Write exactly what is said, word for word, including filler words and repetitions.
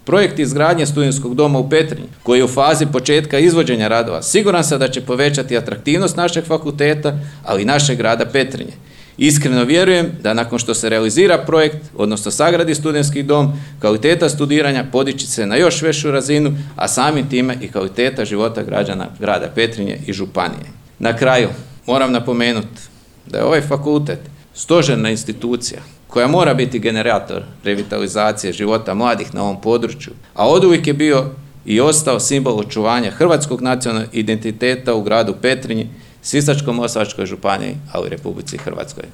Projekt izgradnje studentskog doma u Petrinji, koji je u fazi početka izvođenja radova, siguran sam da će povećati atraktivnost našeg fakulteta, ali i našeg grada Petrinje. Iskreno vjerujem da nakon što se realizira projekt, odnosno sagradi studentski dom, kvaliteta studiranja podići se na još veću razinu, a samim time i kvaliteta života građana grada Petrinje i županije. Na kraju moram napomenuti da je ovaj fakultet stožerna institucija koja mora biti generator revitalizacije života mladih na ovom području, a oduvijek je bio i ostao simbol očuvanja hrvatskog nacionalnog identiteta u gradu Petrinji, Sisačko-moslavačkoj županiji, ali i Republici Hrvatskoj.